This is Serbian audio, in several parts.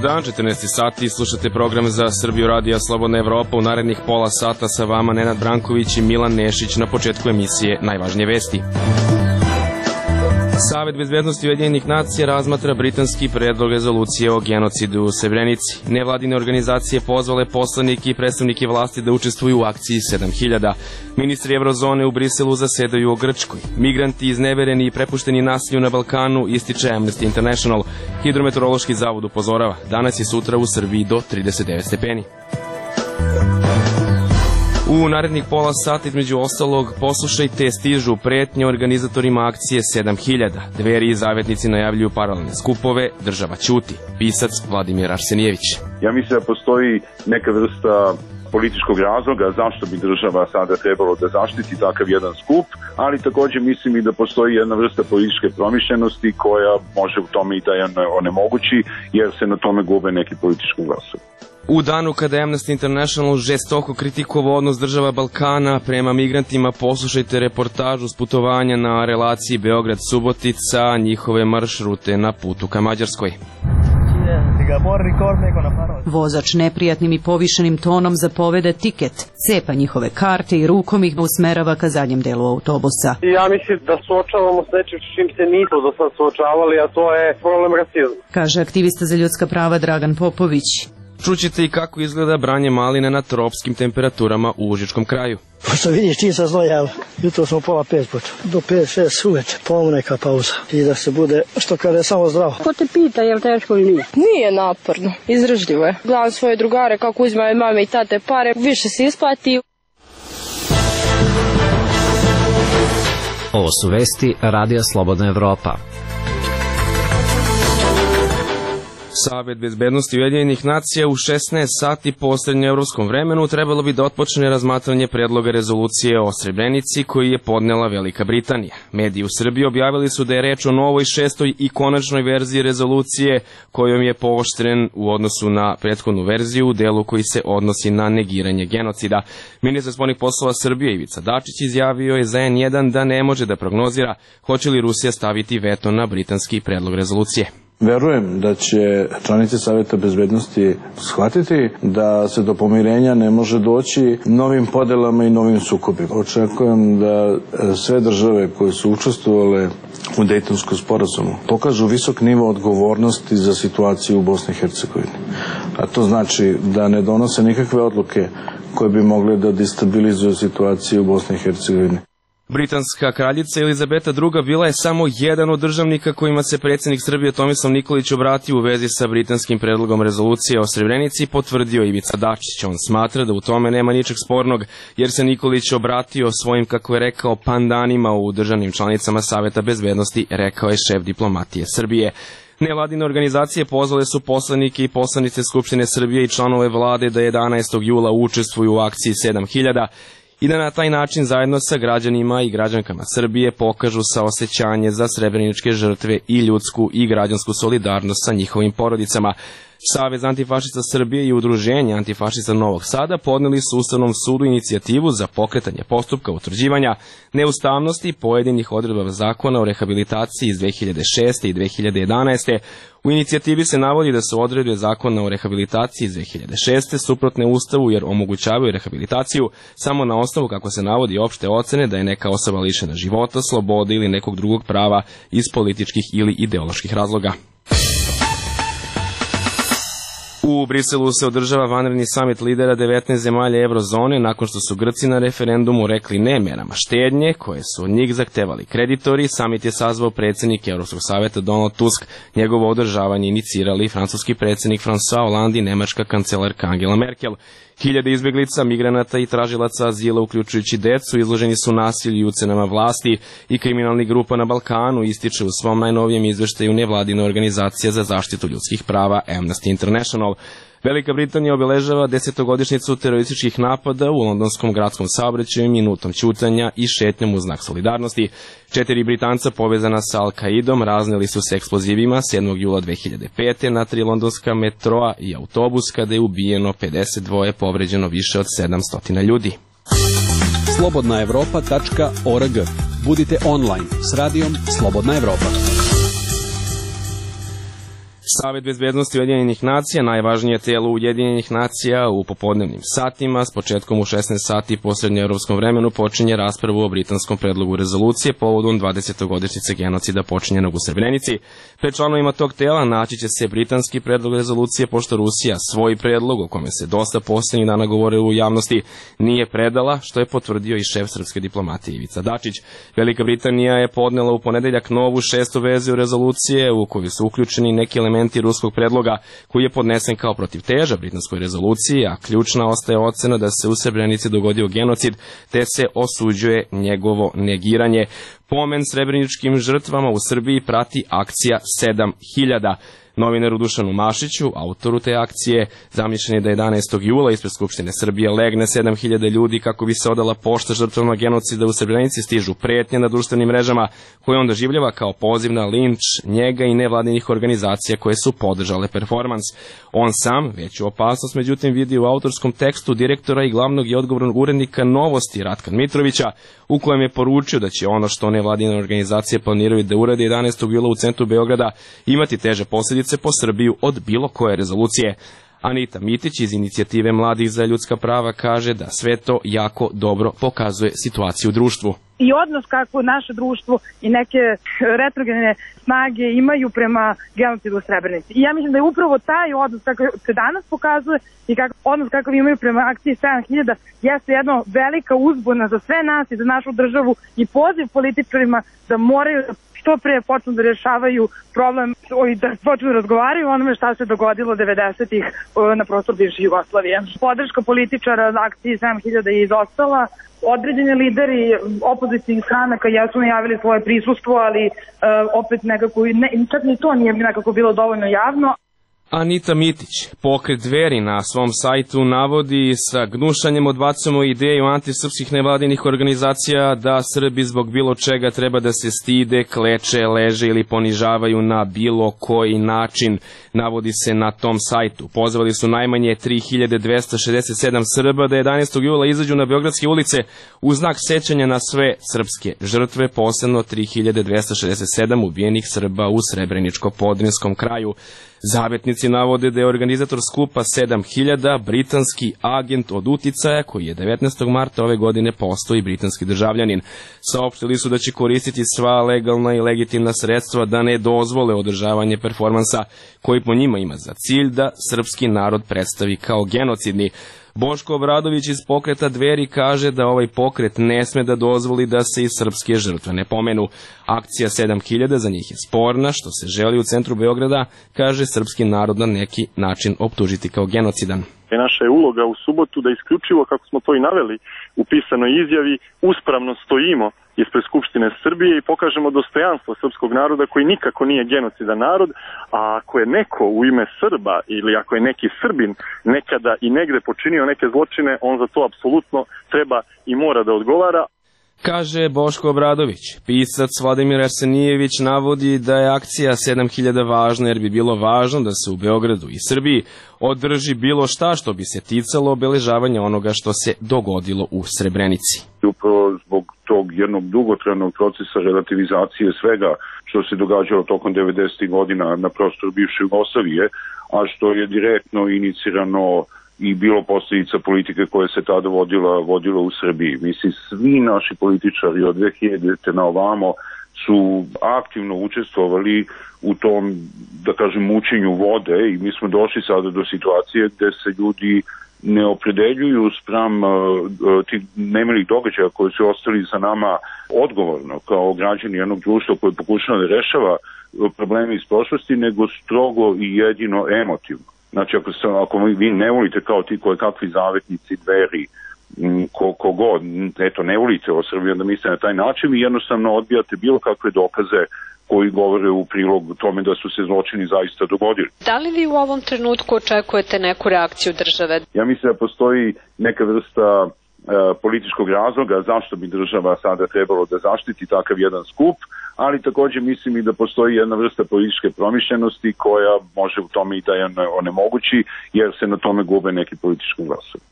dan, 14 sati, slušate program za Srbiju radija Slobodna Evropa. U narednih pola sata sa vama Nenad Branković i Milan Nešić. Na početku emisije najvažnije vesti. Savet bezbednosti Ujedinjenih nacija razmatra britanski predlog rezolucije o genocidu u Srebrenici. Nevladine organizacije pozvale poslanike i predstavnike vlasti da učestvuju u akciji 7000. Ministri Evrozone u Briselu zasedaju o Grčkoj. Migranti iznevereni i prepušteni nasilju na Balkanu, ističe Amnesty International. Hidrometeorološki zavod upozorava, danas i sutra u Srbiji do 39 stepeni. U narednih pola sata, između ostalog, poslušajte, stižu pretnje organizatorima akcije 7000. Dveri i zavetnici najavljuju paralelne skupove, država ćuti. Pisac Vladimir Arsenijević. Ja mislim da postoji neka vrsta političkog razloga zašto bi država sada trebalo da zaštiti takav jedan skup, ali također mislim i da postoji jedna vrsta političke promišljenosti koja može u tome i da je onemogući, jer se na tome gube neki politički glasovi. U danu kada je Amnesty International žestoko kritikovao odnos država Balkana prema migrantima, poslušajte reportažu s putovanja na relaciji Beograd-Subotica, njihove maršrute na putu ka Mađarskoj. Vozač neprijatnim i povišenim tonom zapovede tiket, cepa njihove karte i rukom ih usmerava ka zadnjem delu autobusa. Ja mislim da suočavamo s nečim s čim se nismo do sad suočavali, a to je problem rasizma, kaže aktivista za ljudska prava Dragan Popović. Čućete i kako izgleda branje maline na tropskim temperaturama u Užičkom kraju. Pošto vidiš, čim sam znojao, jutro smo pola 5 počeo, do 5-6 uveče, polovno neka pauza i da se bude, što kaže, samo zdravo. Ko te pita je li teško ili nije? Nije naporno, izdržljivo je. Gledam svoje drugare kako uzimaju mame i tate pare, više se isplati. Ovo su vesti Radija Slobodna Evropa. Savet bezbednosti Ujedinjenih nacija u 16 sati po srednjoevropskom vremenu trebalo bi da otpočne razmatranje predloga rezolucije o Srebrenici koji je podnela Velika Britanija. Mediji u Srbiji objavili su da je reč o novoj, šestoj i konačnoj verziji rezolucije kojom je pooštren u odnosu na prethodnu verziju u delu koji se odnosi na negiranje genocida. Ministar spoljnih poslova Srbije Ivica Dačić izjavio je za N1 da ne može da prognozira hoće li Rusija staviti veto na britanski predlog rezolucije. Verujem da će članice Saveta bezbednosti shvatiti da se do pomirenja ne može doći novim podelama i novim sukobima. Očekujem da sve države koje su učestvovale u Dejtonskom sporazumu pokažu visok nivo odgovornosti za situaciju u Bosni i Hercegovini. A to znači da ne donose nikakve odluke koje bi mogle da destabilizuju situaciju u Bosni i Hercegovini. Britanska kraljica Elizabeta II bila je samo jedan od državnika kojima se predsjednik Srbije Tomislav Nikolić obratio u vezi sa britanskim predlogom rezolucije o Srebrenici, potvrdio Ivica Dačić. On smatra da u tome nema ničeg spornog, jer se Nikolić obratio svojim, kako je rekao, pandanima u državnim članicama Saveta bezbednosti, rekao je šef diplomatije Srbije. Nevladine organizacije pozvale su poslanike i poslanice Skupštine Srbije i članove vlade da 11. jula učestvuju u akciji 7000 i da na taj način zajedno sa građanima i građankama Srbije pokažu saosećanje za srebreničke žrtve i ljudsku i građansku solidarnost sa njihovim porodicama. Savez antifašista Srbije i Udruženje antifašista Novog Sada podneli su Ustavnom sudu inicijativu za pokretanje postupka utvrđivanja neustavnosti pojedinih odredaba zakona o rehabilitaciji iz 2006. i 2011. U inicijativi se navodi da su odredbe zakona o rehabilitaciji iz 2006. suprotne Ustavu jer omogućavaju rehabilitaciju samo na osnovu, kako se navodi, opšte ocene da je neka osoba lišena života, slobode ili nekog drugog prava iz političkih ili ideoloških razloga. U Briselu se održava vanredni samit lidera 19 zemalja Evrozone nakon što su Grci na referendumu rekli ne merama štednje koje su od njih zahtevali kreditori. Samit je sazvao predsjednik Evropskog saveta Donald Tusk. Njegovo održavanje inicirali francuski predsjednik François Hollande i nemačka kancelarka Angela Merkel. Hiljade izbjeglica, migranata i tražilaca azila, uključujući decu, izloženi su nasilju i ucenama vlasti i kriminalnih grupa na Balkanu, ističe u svom najnovijem izveštaju nevladina organizacija za zaštitu ljudskih prava Amnesty International. Velika Britanija obeležava 10-godišnjicu terorističkih napada u londonskom gradskom saobraćaju minutom ćutanja i šetnjom u znak solidarnosti. 4 Britanca povezana sa Al-Kaidom razneli su se eksplozivima 7. jula 2005. na 3 londonska metroa i autobus kada je ubijeno 52, povređeno više od 700 ljudi. slobodnaevropa.org. Budite online s radijom Slobodna Evropa. Savet bezbednosti Ujedinjenih nacija, najvažnije telo Ujedinjenih nacija, u popodnevnim satima, s početkom u 16 sati po srednjoevropskom vremenu, počinje raspravu o britanskom predlogu rezolucije povodom 20. godišnjice genocida počinjenog u Srebrenici. Pred članovima tog tela naći će se britanski predlog rezolucije, pošto Rusija svoj predlog, o kome se dosta poslednjih dana govorilo u javnosti, nije predala, što je potvrdio i šef srpske diplomatije Ivica Dačić. Velika Britanija je podnela u ponedeljak novu 6. verziju rezolucije, u koju su uključeni neki elementi ruskog predloga koji je podnesen kao protivteža britanskoj rezoluciji, a ključna ostaje ocena da se u Srebrenici dogodio genocid, te se osuđuje njegovo negiranje. Pomen srebreničkim žrtvama u Srbiji prati akcija 7000. Novinaru Dušanu Mašiću, autoru te akcije, zamišljen je da 11. jula ispred Skupštine Srbije legne 7000 ljudi kako bi se odala pošta žrtvama genocida u Srebrenici, stižu pretnje na društvenim mrežama koje on doživljava kao poziv na linč njega i nevladinih organizacija koje su podržale performans. On sam veću opasnost međutim vidi u autorskom tekstu direktora i glavnog i odgovornog urednika Novosti Ratka Mitrovića, u kojem je poručio da će ono što nevladine organizacije planiraju da urade 11. jula u centru Beograda imati teže posljedice po Srbiju od bilo koje rezolucije. Anita Mitić iz inicijative Mladih za ljudska prava kaže da sve to jako dobro pokazuje situaciju u društvu. I odnos kako naše društvo i neke retrogradne snage imaju prema genocidu u Srebrenici. I ja mislim da je upravo taj odnos kako se danas pokazuje i odnos kakav imaju prema akciji 7000 jeste jedna velika uzbuna za sve nas i za našu državu i poziv političarima da moraju što pre počnu da rješavaju problem i da počnu da razgovaraju o onome šta se dogodilo 90-ih na prostoru bivše Jugoslavije. Podrška političara za akciji 7000 je izostala. Određeni lideri opozicijnih stranaka jesu najavili svoje prisustvo, ali opet nekako, čak ni to nije nekako bilo dovoljno javno. Anita Mitić, pokret Dveri, na svom sajtu navodi sa gnušanjem odbacujemo ideju antisrpskih nevladinih organizacija da Srbi zbog bilo čega treba da se stide, kleče, leže ili ponižavaju na bilo koji način, navodi se na tom sajtu. Pozvali su najmanje 3267 Srba da 11. jula izađu na beogradske ulice u znak sećanja na sve srpske žrtve, posebno 3267 ubijenih Srba u Srebreničko-Podrinjskom kraju. Zavetnici navode da je organizator skupa 7000 britanski agent od uticaja koji je 19. marta ove godine postao i britanski državljanin. Saopštili su da će koristiti sva legalna i legitimna sredstva da ne dozvole održavanje performansa koji po njima ima za cilj da srpski narod predstavi kao genocidni. Boško Obradović iz pokreta Dveri kaže da ovaj pokret ne sme da dozvoli da se i srpske žrtve ne pomenu. Akcija 7000 za njih je sporna, što se želi u centru Beograda, kaže srpski narod na neki način optužiti kao genocidan. Naša je uloga u subotu da isključivo, kako smo to i naveli u pisanoj izjavi, uspravno stojimo ispred Skupštine Srbije i pokažemo dostojanstvo srpskog naroda koji nikako nije genocidan narod, a ako je neko u ime Srba ili ako je neki Srbin nekada i negde počinio neke zločine, on za to apsolutno treba i mora da odgovara. Kaže Boško Obradović. Pisac Vladimir Arsenijević navodi da je akcija 7000 važna jer bi bilo važno da se u Beogradu i Srbiji održi bilo šta što bi se ticalo obeležavanja onoga što se dogodilo u Srebrenici. Upravo zbog tog jednog dugotrajnog procesa relativizacije svega što se događalo tokom 90. godina na prostoru bivše Jugoslavije, a što je direktno inicirano i bilo posljedica politike koje se tada vodilo u Srbiji. Mislim, svi naši političari od 2000. na ovamo su aktivno učestvovali u tom, da kažem, mučenju vode i mi smo došli sada do situacije gde se ljudi ne opredeljuju spram tih nemilih događaja koji su ostali za nama odgovorno kao građani jednog društva koji pokušava da rešava probleme iz prošlosti, nego strogo i jedino emotivno. Znači, ako vi ne volite kao ti koje kakvi zavetnici, Dveri, kogod, eto, ne volite o Srbiji, onda mislite na taj način i jednostavno odbijate bilo kakve dokaze koji govore u prilog tome da su se zločini zaista dogodili. Da li vi u ovom trenutku očekujete neku reakciju države? Ja mislim da postoji neka vrsta političkog razloga zašto bi država sada trebalo da zaštiti takav jedan skup, ali također mislim i da postoji jedna vrsta političke promišljenosti koja može u tome i da je onemogući, jer se na tome gube neki politički glasovi.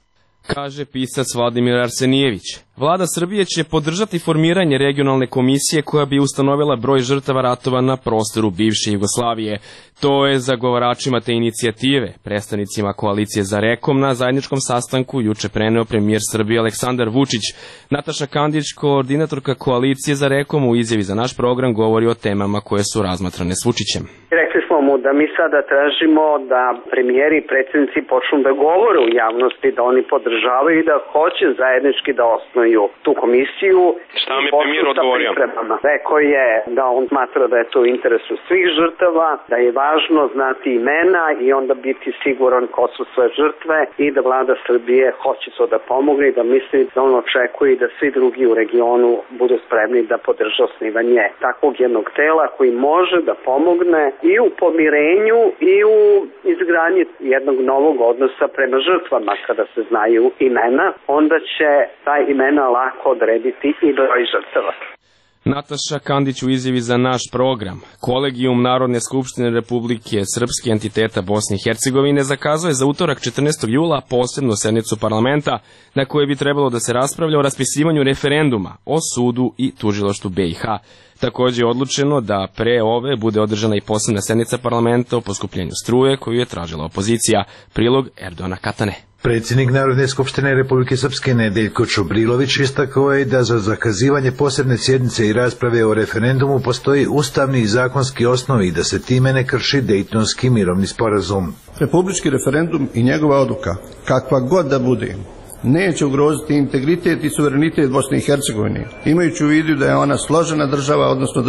kaže pisac Vladimir Arsenijević. Vlada Srbije će podržati formiranje regionalne komisije koja bi ustanovila broj žrtava ratova na prostoru bivše Jugoslavije. To je zagovaračima te inicijative, predstavnicima koalicije za Rekom, na zajedničkom sastanku juče preneo premijer Srbije Aleksandar Vučić. Nataša Kandić, koordinatorka koalicije za Rekom, u izjavi za naš program govori o temama koje su razmatrane s Vučićem. Rekli smo mu da mi sada tražimo da premijeri i predsjednici počnu da govore u javnosti, da oni podržavaju i da hoće zajednički da osnuju tu komisiju. Šta mi premijer odgovorio? Rekao je da on smatra da je to u interesu svih žrtava, da je važno znati imena i onda biti siguran ko su sve žrtve i da vlada Srbije hoće to da pomogne i da misli da on očekuje da svi drugi u regionu budu spremni da podrže osnivanje takvog jednog tela koji može da pomogne i u pomirenju i u izgradnji jednog novog odnosa prema žrtvama. Kada se znaju imena, onda će taj imena lako odrediti i broj žrtava. Nataša Kandić u izjavi za naš program. Kolegijum Narodne skupštine Republike Srpske entiteta Bosne i Hercegovine zakazuje za utorak 14. jula posebnu sednicu parlamenta na kojoj bi trebalo da se raspravlja o raspisivanju referenduma o sudu i tužilaštvu BiH. Također je odlučeno da pre ove bude održana i posebna sednica parlamenta o poskupljenju struje koju je tražila opozicija. Prilog Erdona Katane. Predsjednik Narodne skupštine Republike Srpske Nedeljko Čubrilović istakao je da za zakazivanje posebne sjednice i rasprave o referendumu postoji ustavni i zakonski osnov i da se time ne krši Dejtonski mirovni sporazum. Republički referendum i njegova odluka, kakva god da bude, neće ugroziti integritet i suverenitet Bosne i Hercegovine, imajući u vidu da je ona složena država, odnosno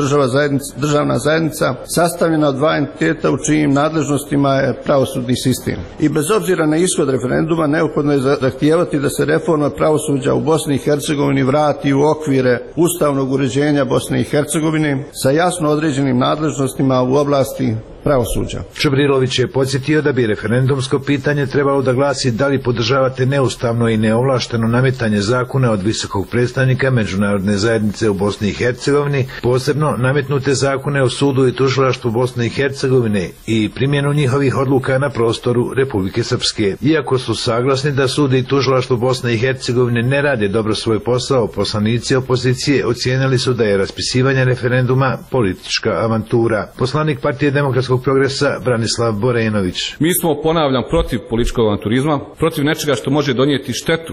državna zajednica, sastavljena od dva entiteta u čijim nadležnostima je pravosudni sistem. I bez obzira na ishod referenduma, neophodno je zahtijevati da se reforma pravosuđa u Bosni i Hercegovini vrati u okvire ustavnog uređenja Bosne i Hercegovine sa jasno određenim nadležnostima u oblasti pravosuđa. Čubrilović je podsjetio da bi referendumsko pitanje trebalo da glasi da li podržavate neustavno i neovlašteno nametanje zakona od visokog predstavnika međunarodne zajednice u Bosni i Hercegovini, posebno nametnute zakone o sudu i tužilaštvu Bosne i Hercegovine i primjenu njihovih odluka na prostoru Republike Srpske. Iako su saglasni da sud i tužilaštvo Bosne i Hercegovine ne rade dobro svoj posao, poslanici opozicije ocijenili su da je raspisivanje referenduma politička avantura. Poslanik Partije demokratskog progresa Branislav Borenović. Mi smo, ponavljam, protiv političkog avanturizma, protiv nečega što može donijeti štetu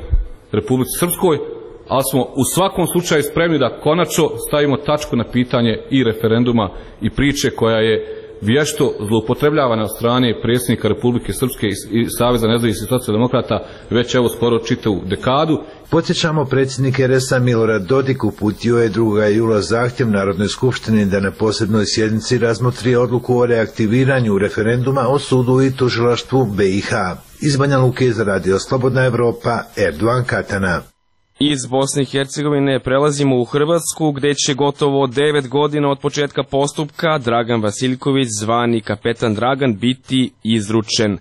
Republici Srpskoj, ali smo u svakom slučaju spremni da konačno stavimo tačku na pitanje i referenduma i priče koja je vješto zloupotrebljavana od strane predsjednika Republike Srpske i Saveza nezavisnih socijaldemokrata već evo skoro čitavu dekadu. Podsjećamo, predsjednik RS-a Milorad Dodik uputio je 2. jula zahtjev Narodnoj skupštini da na posebnoj sjednici razmotri odluku o reaktiviranju referenduma o sudu i tužilaštvu BiH. Iz Banja Luke za Radio Slobodna Evropa, Erdogan Katana. Iz Bosne i Hercegovine prelazimo u Hrvatsku, gde će gotovo 9 godina od početka postupka Dragan Vasiljković, zvani Kapetan Dragan, biti izručen.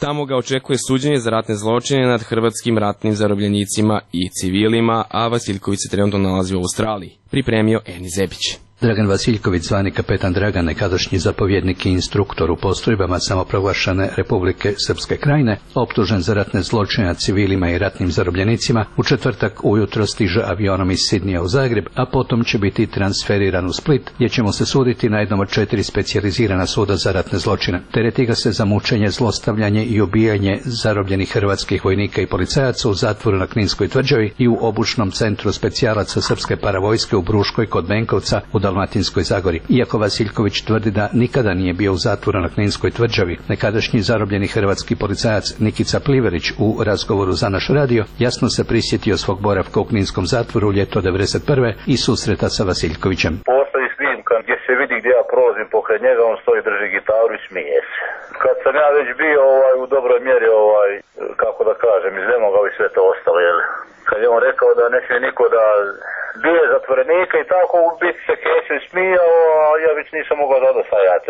Tamo ga očekuje suđenje za ratne zločine nad hrvatskim ratnim zarobljenicima i civilima, a Vasiljković se trenutno nalazi u Australiji. Pripremio Eni Zebić. Dragan Vasiljković, zvani Kapetan Dragan, nekadašnji zapovjednik i instruktor u postrojbama samoproglašene Republike Srpske Krajine, optužen za ratne zločine nad civilima i ratnim zarobljenicima, u četvrtak ujutro stiže avionom iz Sidnija u Zagreb, a potom će biti transferiran u Split, gdje će mu se suditi na jednom od 4 specijalizirana suda za ratne zločine. Tereti ga se za mučenje, zlostavljanje i ubijanje zarobljenih hrvatskih vojnika i policajaca u zatvoru na Kninskoj tvrđavi i u obučnom centru specijalaca srpske paravojske u Bruškoj kod Benkovca u Dalmatinskoj Zagori. Iako Vasiljković tvrdi da nikada nije bio u zatvoru na Kninskoj tvrđavi, nekadašnji zarobljeni hrvatski policajac Nikica Pliverić u razgovoru za naš radio jasno se prisjetio svog boravka u Kninskom zatvoru u ljeto 1991. i susreta sa Vasiljkovićem. Postoji snimka gdje se vidi gdje ja prolazim pokraj njega, on stoji, drži gitaru i smije se. Kad sam ja već bio u dobroj mjeri, kako da kažem, iznemogao i sve to ostalo, jel? Kad je on rekao da ne smije niko da bio je zatvorenika i tako u biti se Kesić smijao, a ja već nisam mogao dodostajati,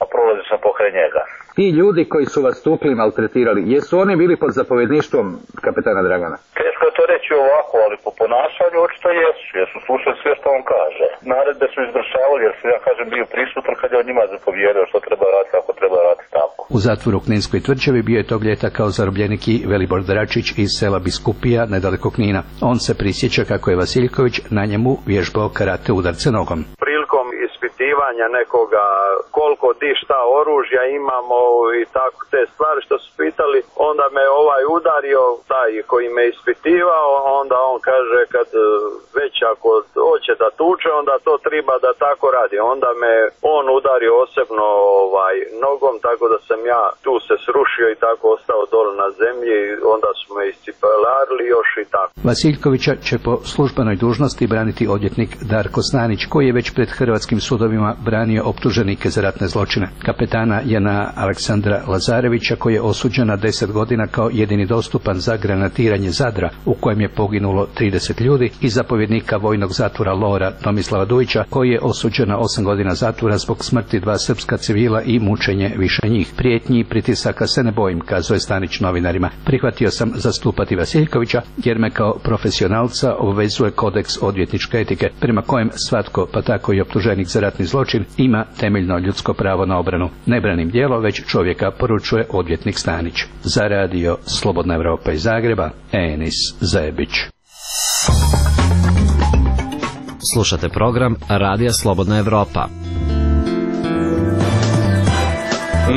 a prolazio sam pokraj njega. Ti ljudi koji su vas tukli i maltretirali, jesu oni bili pod zapovjedništvom kapetana Dragana? Teško je to reći ovako, ali po ponašanju očito jesu, jer su slušali sve što on kaže. Naredbe su izvršavali, jer sam, ja kažem, bio prisutan kad je on njima zapovjedao što treba raditi, ako treba raditi tako. U zatvoru u Kninskoj Tvrđavi bio je tog ljeta kao zarobljenik i Velibor Dračić iz sela Biskupija, nedaleko Knina. On se prisjeća kako je Vasiljković na njemu vježbao karate udarce nogom. Prilikom ispitivanja nekoga koliko di šta oružja imamo i tako te stvari što su pitali, onda me udario taj koji me ispitivao, onda on kaže kad već ako hoće da tuče, onda to treba da tako radi. Onda me on udario osebno nogom, tako da sam ja tu se srušio i tako ostao dole na zemlji, onda su me iscipelarili još i tako. Vasiljkovića će po službenoj dužnosti braniti odvjetnik Darko Stanić, koji je već pred hrvatskim sudovima branio optuženike za ratne zločine. Kapetana Jana Aleksandra Lazarevića, koji je osuđen na 10 godina kao jedini dostupan za granatiranje Zadra, u kojem je poginulo 30 ljudi, i zapovjednika vojnog zatvora Lora Tomislava Dujića, koji je osuđen na 8 godina zatvora zbog smrti 2 srpska civila i mučenje više njih. Prijetnji i pritisaka se ne bojim, kazao je Stanić novinarima. Prihvatio sam zastupati Vasiljkovića jer me kao profesionalca obvezuje kodeks odvjetničke etike, prema kojem svatko, pa tako i optuženik za ratni zločin, ima temeljno ljudsko pravo na obranu. Ne branim djelo, već čovjeka, poručuje odvjetnik Stanić. Za radio Slobodna Evropa iz Zagreba, Enis Zebić. Slušate program Radija Slobodna Evropa.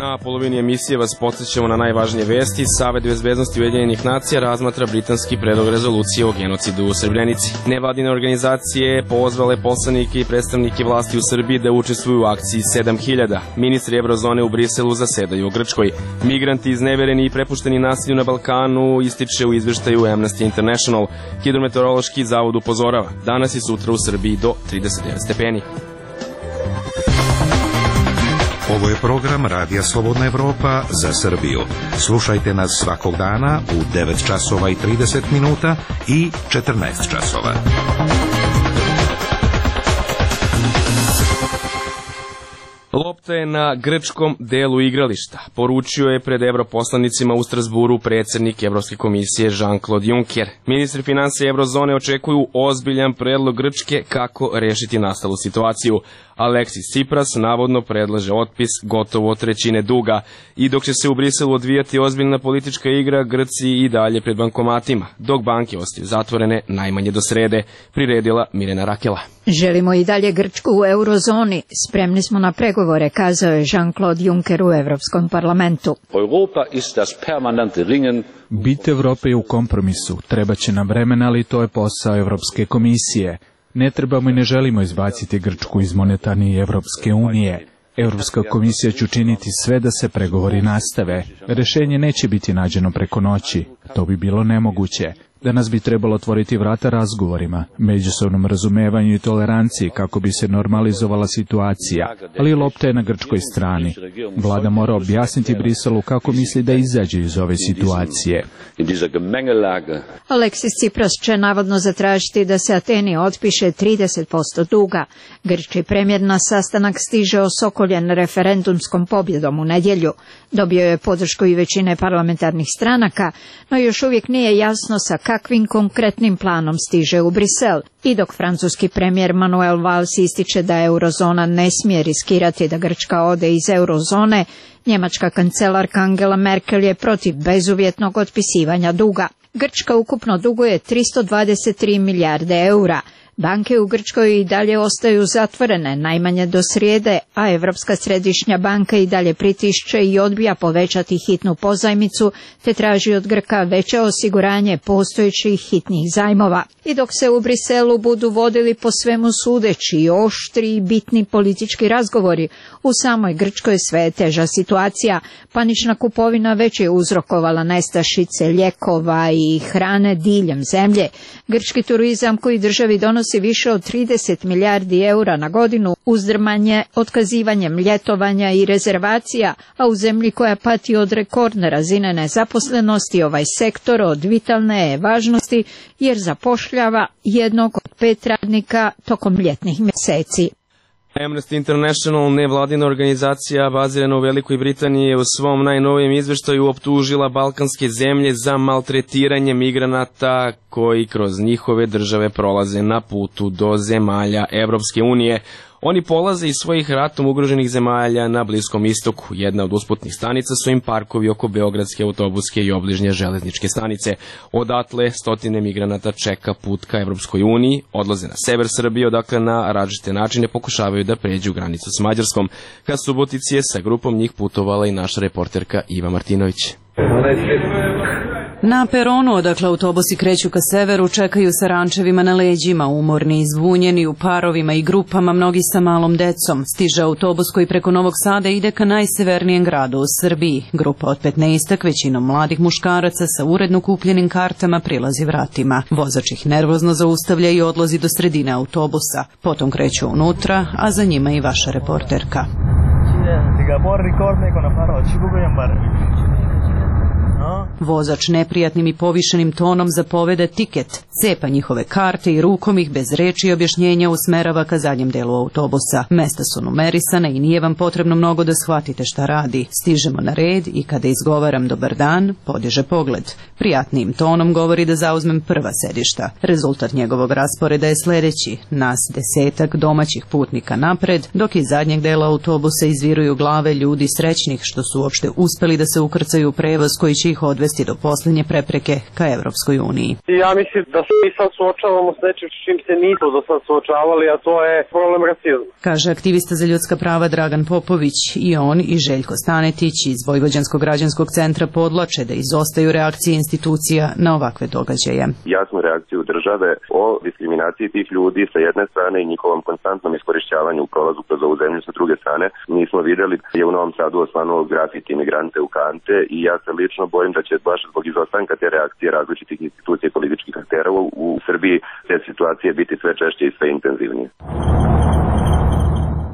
Na polovini emisije vas podsjećamo na najvažnije vesti. Savet bezbednosti Ujedinjenih nacija razmatra britanski predlog rezolucije o genocidu u Srebrenici. Nevladine organizacije pozvale poslanike i predstavnike vlasti u Srbiji da učestvuju u akciji 7000. Ministri Evrozone u Briselu zasedaju u Grčkoj. Migranti iznevereni i prepušteni nasilju na Balkanu ističe u izveštaju Amnesty International. Hidrometeorološki zavod upozorava. Danas i sutra u Srbiji do 39 stepeni. Ovo je program Radija Slobodna Evropa za Srbiju. Slušajte nas svakog dana u 9 časova i 30 minuta i 14 časova. Lopta je na grčkom delu igrališta, poručio je pred evroposlanicima u Strasburu predsjednik Evropske komisije Jean-Claude Juncker. Ministri financija Evrozone očekuju ozbiljan predlog Grčke kako rešiti nastalu situaciju. Aleksis Tsipras navodno predlaže otpis gotovo trećine duga. I dok će se u Briselu odvijati ozbiljna politička igra, Grci i dalje pred bankomatima, dok banke ostaju zatvorene najmanje do srede, priredila Mirjana Rakela. Želimo i dalje Grčku u eurozoni. Spremni smo na pregovore, kazao je Jean-Claude Juncker u Evropskom parlamentu. Bit Evrope je u kompromisu. Treba će nam vremena, ali to je posao Evropske komisije. Ne trebamo i ne želimo izbaciti Grčku iz monetarne i Evropske unije. Europska komisija će učiniti sve da se pregovori nastave. Rešenje neće biti nađeno preko noći. To bi bilo nemoguće. Danas bi trebalo otvoriti vrata razgovorima, međusobnom razumevanju i toleranciji kako bi se normalizovala situacija, ali lopta je na grčkoj strani. Vlada mora objasniti Briselu kako misli da izađe iz ove situacije. Aleksis Tsipras će navodno zatražiti da se Ateni otpiše 30% duga. Grčki premijer na sastanak stiže osokoljen referendumskom pobjedom u nedjelju. Dobio je podršku i većine parlamentarnih stranaka, no još uvijek nije jasno sa kakvim konkretnim planom stiže u Brisel. I dok francuski premijer Manuel Valls ističe da eurozona ne smije riskirati da Grčka ode iz eurozone, njemačka kancelarka Angela Merkel je protiv bezuvjetnog otpisivanja duga. Grčka ukupno duguje 323 milijarde eura. Banke u Grčkoj i dalje ostaju zatvorene, najmanje do srijede, a Europska središnja banka i dalje pritišće i odbija povećati hitnu pozajmicu, te traži od Grka veće osiguranje postojećih hitnih zajmova. I dok se u Briselu budu vodili po svemu sudeći oštri i bitni politički razgovori, u samoj Grčkoj sve je teža situacija. Panična kupovina već je uzrokovala nestašice lijekova i hrane diljem zemlje. Grčki turizam koji državi donosi iznosi više od 30 milijardi eura na godinu, uzdrmanje otkazivanjem ljetovanja i rezervacija, a u zemlji koja pati od rekordne razine nezaposlenosti ovaj sektor od vitalne je važnosti jer zapošljava 1 od 5 radnika tokom ljetnih mjeseci. Amnesty International, nevladina organizacija bazirana u Velikoj Britaniji, je u svom najnovijem izveštaju optužila balkanske zemlje za maltretiranje migranata koji kroz njihove države prolaze na putu do zemalja Evropske unije. Oni polaze iz svojih ratom ugroženih zemalja na Bliskom istoku. Jedna od usputnih stanica su im parkovi oko beogradske autobuske i obližnje železničke stanice. Odatle stotine migranata čeka put ka Evropskoj uniji, odlaze na sever Srbije, odakle na različite načine pokušavaju da pređu granicu s Mađarskom. Ka Subotici je sa grupom njih putovala i naša reporterka Iva Martinović. Na peronu, odakle autobusi kreću ka severu, čekaju sa rančevima na leđima, umorni, izvunjeni, u parovima i grupama, mnogi sa malom decom. Stiže autobus koji preko Novog Sada ide ka najsevernijem gradu u Srbiji. Grupa od 15, većinom mladih muškaraca sa uredno kupljenim kartama, prilazi vratima. Vozač ih nervozno zaustavlja i odlazi do sredine autobusa. Potom kreću unutra, a za njima i vaša reporterka. Vozač neprijatnim i povišenim tonom zapoveda tiket, cepa njihove karte i rukom ih bez reči i objašnjenja usmerava ka zadnjem delu autobusa. Mesta su numerisana i nije vam potrebno mnogo da shvatite šta radi. Stižemo na red i kada izgovaram dobar dan, podiže pogled. Prijatnijim tonom govori da zauzmem prva sedišta. Rezultat njegovog rasporeda je sledeći: nas 10 domaćih putnika napred, dok iz zadnjeg dela autobusa izviruju glave ljudi srećnih što su uopšte uspeli da se ukrcaju u prevoz koji će ih odvesti do posljednje prepreke ka Evropskoj uniji. Ja mislim da se mi sad suočavamo s nečim s čim se nismo do sad suočavali, a to je problem rasizma. Kaže aktivista za ljudska prava Dragan Popović. I on i Željko Stanetić iz Vojvođanskog građanskog centra podlače da izostaju reakcije institucija na ovakve događaje. Jasnu reakciju države o diskriminaciji tih ljudi sa jedne strane i njihovom konstantnom iskorišćavanju u prolazu kroz ovu zemlju sa druge strane nismo vidjeli. Je u Novom Sadu osvanuo grafiti imigrante u kante i ja se lično bojim da će baš zbog izostanka te reakcije različitih institucija i političkih aktera u Srbiji te situacije biti sve češće i sve intenzivnije.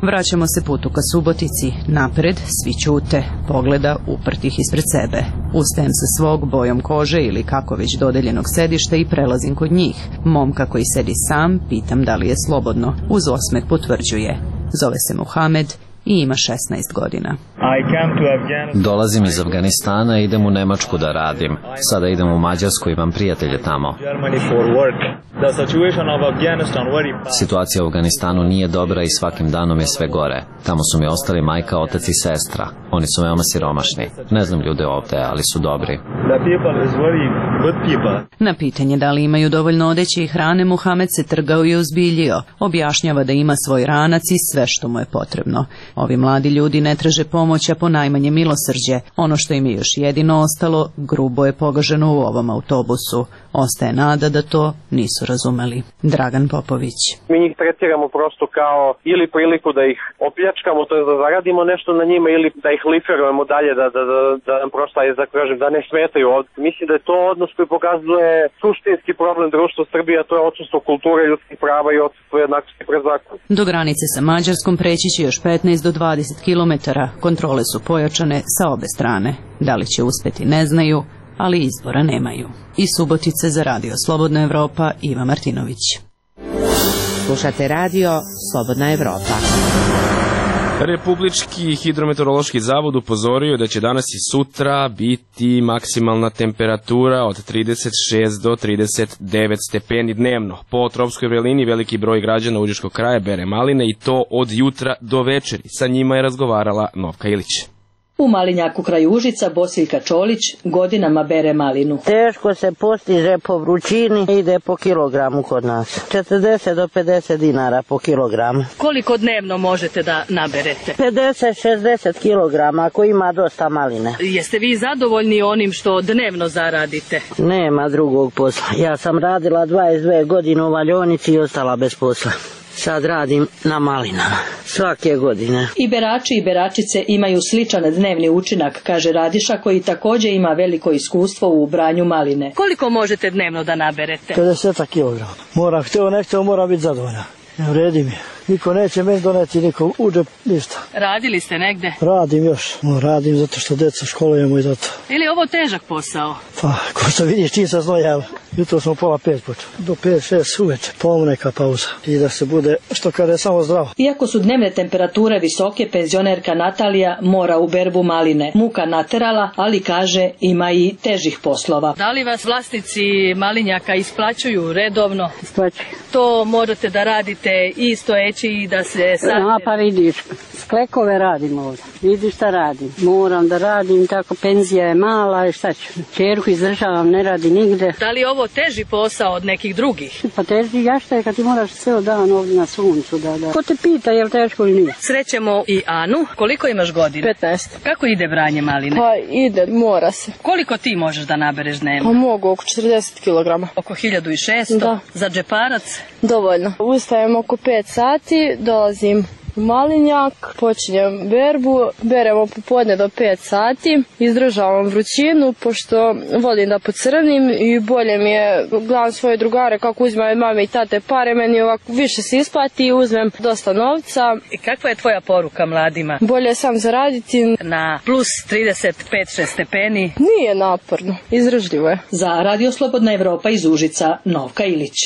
Vraćamo se putu ka Subotici. Napred svi ćute, pogleda uprtih ispred sebe. Ustajem sa svog bojom kože ili kako već dodeljenog sedišta i prelazim kod njih. Momka koji sedi sam, pitam da li je slobodno. Uz osmeh potvrđuje. Zove se Muhamed i ima 16 godina. Dolazim iz Afganistana i idem u Nemačku da radim. Sada idem u Mađarsku, imam prijatelje tamo. Situacija u Afganistanu nije dobra i svakim danom je sve gore. Tamo su mi ostali majka, otac i sestra. Oni su veoma siromašni. Ne znam ljude ovde, ali su dobri. Na pitanje da li imaju dovoljno odeće i hrane, Muhamed se trgao i ozbiljio. Objašnjava da ima svoj ranac i sve što mu je potrebno. Ovi mladi ljudi ne traže pomoć, a ponajmanje milosrđe. Ono što im je još jedino ostalo, grubo je pogaženo u ovom autobusu. Ostaje nada da to nisu razumeli. Dragan Popović. Mi njih tretiramo prosto kao ili priliku da ih opljačkamo, to je da zaradimo nešto na njima, ili da ih liferujemo dalje, da nam prosto, da ne smetaju ovdje. Mislim da je to odnos koji pokazuje suštinski problem društva Srbije, a to je odsustvo kulture, ljudskih prava i odsustvo jednakosti pred zakonom. Do granice sa Mađarskom preći će još 15 do 20 kilometara. Kontrole su pojačane sa obe strane. Da li će uspeti ne znaju, ali izbora nemaju. Iz Subotice za Radio Slobodna Evropa, Iva Martinović. Slušate Radio Slobodna Evropa. Republički hidrometeorološki zavod upozorio da će danas i sutra biti maksimalna temperatura od 36 do 39 stepeni dnevno. Po tropskoj vrelini veliki broj građana Užičkog kraja bere maline i to od jutra do večeri. Sa njima je razgovarala Novka Ilić. U Malinjaku kraj Užica Bosiljka Čolić godinama bere malinu. Teško se postiže po vrućini, ide po kilogramu kod nas. 40 do 50 dinara po kilogramu. Koliko dnevno možete da naberete? 50-60 kilograma ako ima dosta maline. Jeste vi zadovoljni onim što dnevno zaradite? Nema drugog posla. Ja sam radila 22 godine u valjionici i ostala bez posla. sad radim na malinama. Svake godine. I berači i beračice imaju sličan dnevni učinak, kaže Radiša, koji također ima veliko iskustvo u branju maline. Koliko možete dnevno da naberete? 50 kg. Moram, hteo nekto, mora biti zadovoljan. Vredi mi. Niko neće meni doneti, niko uđe, ništa. Radili ste negde? Radim još. Radim zato što deca školujemo i zato. Ili je ovo težak posao? Pa, ko što vidiš, čim se znojava. Jutro smo 4:30 počeli. Do 5-6 uveče. Neka pauza. I da se bude, što kada je samo zdravo. Iako su dnevne temperature visoke, penzionerka Natalija mora u berbu maline. Muka naterala, ali kaže ima i težih poslova. Da li vas vlasnici malinjaka isplaćuju redovno? Isplaćuju. To možete da radite i stojeći i da se sadite? Pa vidiš, sklekove radim ovdje. Vidiš šta radim. Moram da radim, tako penzija je mala i šta ću. Čerku izdržavam, ne radi nigde. Da li je ovo teži posao od nekih drugih? Pa teži jašta je kad ti moraš ceo dan ovdje na suncu. Da. Ko te pita je li teško ili nije? Srećemo i Anu. Koliko imaš godina? 15. Kako ide branje maline? Pa ide, mora se. Koliko ti možeš da nabereš dnevno? Pa mogu, oko 40 kg. Oko 1600? Da. Za džeparac? Dovoljno. Ustajem oko 5 sati, dolazim u malinjak, počinjem berbu, beremo popodne do 5 sati, izdržavam vrućinu, pošto volim da pocrnim i bolje mi je, gledam svoje drugare kako uzimaju mame i tate pare, meni ovako više se isplati i uzmem dosta novca. I kakva je tvoja poruka mladima? Bolje sam zaraditi. Na plus 35-6 stepeni? Nije naporno, izdržljivo je. Za Radio Slobodna Evropa iz Užica, Novka Ilić.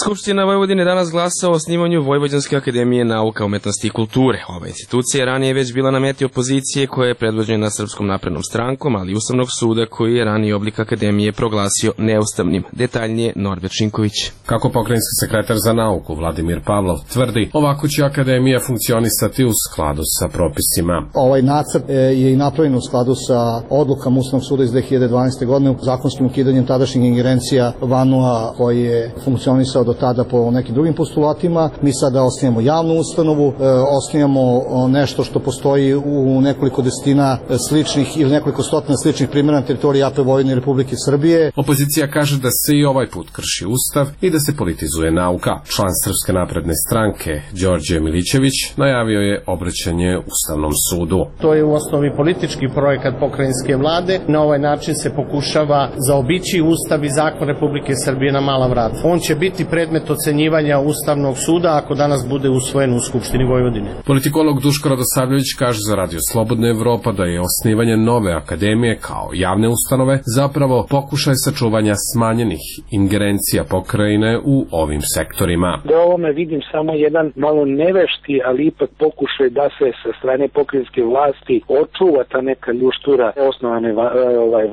Skupština Vojvodine danas glasa o osnivanju Vojvođanske akademije nauka, umetnosti i kulture. Ova institucija je ranije već bila na meti opozicije koja je predvođena Srpskom naprednom strankom, ali i Ustavnog suda koji je raniji oblik akademije proglasio neustavnim. Detaljnije Norbert Šinković. Kako pokrajinski sekretar za nauku Vladimir Pavlov tvrdi, ovako će akademija funkcionisati u skladu sa propisima. Ovaj nacrt je i napravljen u skladu sa odlukama Ustavnog suda iz 2012. godine, zakonskim ukidanjem tadašnjih ingerencija VANU-a koji je funkcionisao do tada po nekim drugim postulatima. Mi sada osnijemo javnu ustanovu, osnijemo nešto što postoji u nekoliko desetina sličnih ili nekoliko stotina sličnih primjera na teritoriji AP Vojvodine i Republike Srbije. Opozicija kaže da se i ovaj put krši ustav i da se politizuje nauka. Član Srpske napredne stranke Đorđe Milićević najavio je obraćanje Ustavnom sudu. To je u osnovi politički projekat pokrajinske vlade. Na ovaj način se pokušava zaobići ustav i zakon Republike Srbije na mala vrata. On će biti predmet ocenjivanja Ustavnog suda ako danas bude usvojen u Skupštini Vojvodine. Politikolog Duško Radosavljević kaže za Radio Slobodna Evropa da je osnivanje nove akademije kao javne ustanove zapravo pokušaj sačuvanja smanjenih ingerencija pokrajine u ovim sektorima. Da ovome vidim samo jedan malo nevešti, ali ipak pokušaj da se sa strane pokrajinske vlasti očuva ta neka ljuštura osnovane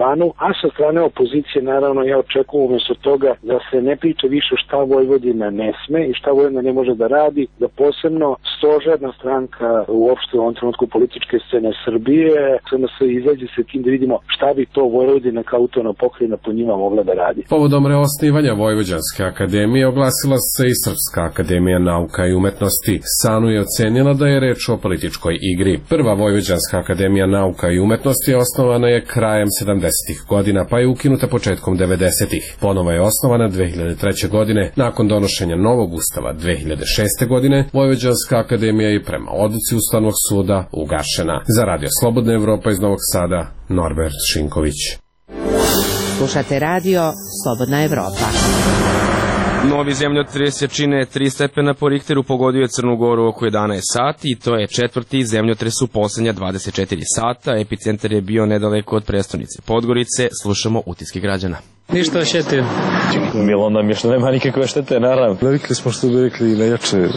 VANU, a sa strane opozicije naravno ja očekujem umjesto toga da se ne priča više šta Vojvodina ne sme i šta Vojvodina ne može da radi, da posebno stožerna stranka uopšte u ovom trenutku političke scene Srbije samo se izađe sa tim da vidimo šta bi to Vojvodina kao autonomna pokrajina po njima mogla da radi. Povodom reosnivanja Vojvođanske akademije oglasila se i Srpska akademija nauka i umetnosti. SANU je ocenila da je reč o političkoj igri. Prva Vojvođanska akademija nauka i umetnosti osnovana je krajem 70-ih godina pa je ukinuta početkom 90-ih. Ponovo je osnovana 2003. godine. Nakon donošenja novog ustava 2006. godine, Vojvođanska akademija je prema odluci Ustavnog suda ugašena. Za Radio Slobodna Evropa iz Novog Sada, Norbert Šinković. Slušate Radio Slobodna Evropa. Novi zemljotres jačine 3 stepena po Richteru pogodio je Crnu Goru oko 11 sati i to je četvrti zemljotres u posljednja 24 sata. Epicentar je bio nedaleko od prestonice Podgorice. Slušamo utiske građana. Ništa osjetio. Bilo nam je što nema nikakve štete, naravno. Navikli smo što bi rekli na jače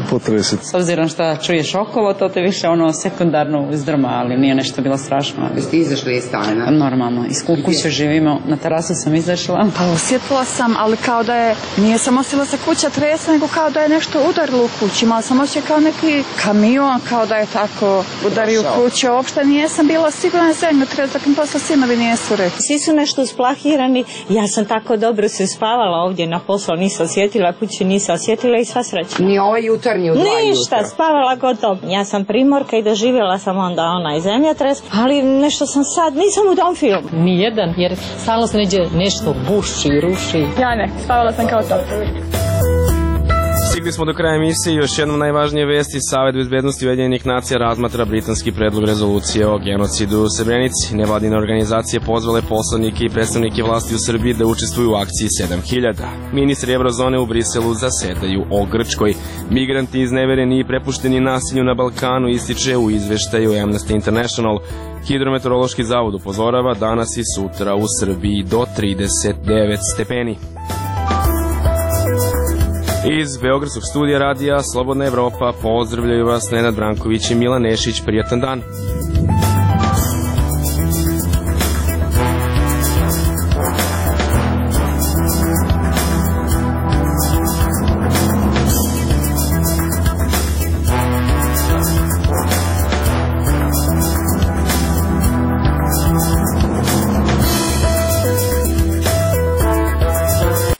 potrese. S obzirom što čuješ okolo, to te više sekundarno uzdrma, ali nije nešto bilo strašno. Jeste izašli iz stana? Normalno, iz kuće živimo, na terasu sam izašla. Pa osjetila sam, ali kao da je, nije sam osjetila se kuća tresa, nego kao da je nešto udarilo u kući. Imala sam osjećaj kao neki kamion, kao da je tako udario u kuću. Uopšte nisam bila sigurna zemljotres, tako mi posle sinovi nisu rekli. Svi su nešto usplahirani. Ja sam tako dobro se spavala ovdje na poslu, nisam osjetila, kući nisam osjetila i sva sreća. Ni ovaj jutarnji u 2 jutra? Ništa, spavala gotovo. Ja sam primorka i doživjela sam onda onaj zemljotres, ali nešto sam sad, nisam u tom filmu. Nijedan, jer stalno se neđe nešto buši, ruši. Ja ne, spavala sam kao to. Stigli smo do kraja emisije. Još jednom najvažnije vesti. Savet bezbednosti Ujedinjenih nacija razmatra britanski predlog rezolucije o genocidu u Srebrenici. Nevladine organizacije pozvale poslanike i predstavnike vlasti u Srbiji da učestvuju u akciji 7000. Ministri Evrozone u Briselu zasedaju o Grčkoj. Migranti iznevereni i prepušteni nasilju na Balkanu, ističe u izveštaju Amnesty International. Hidrometeorološki zavod upozorava danas i sutra u Srbiji do 39 stepeni. Iz Beogradskog studija radija Slobodna Evropa pozdravljaju vas Nenad Branković i Milan Nešić. Prijatan dan.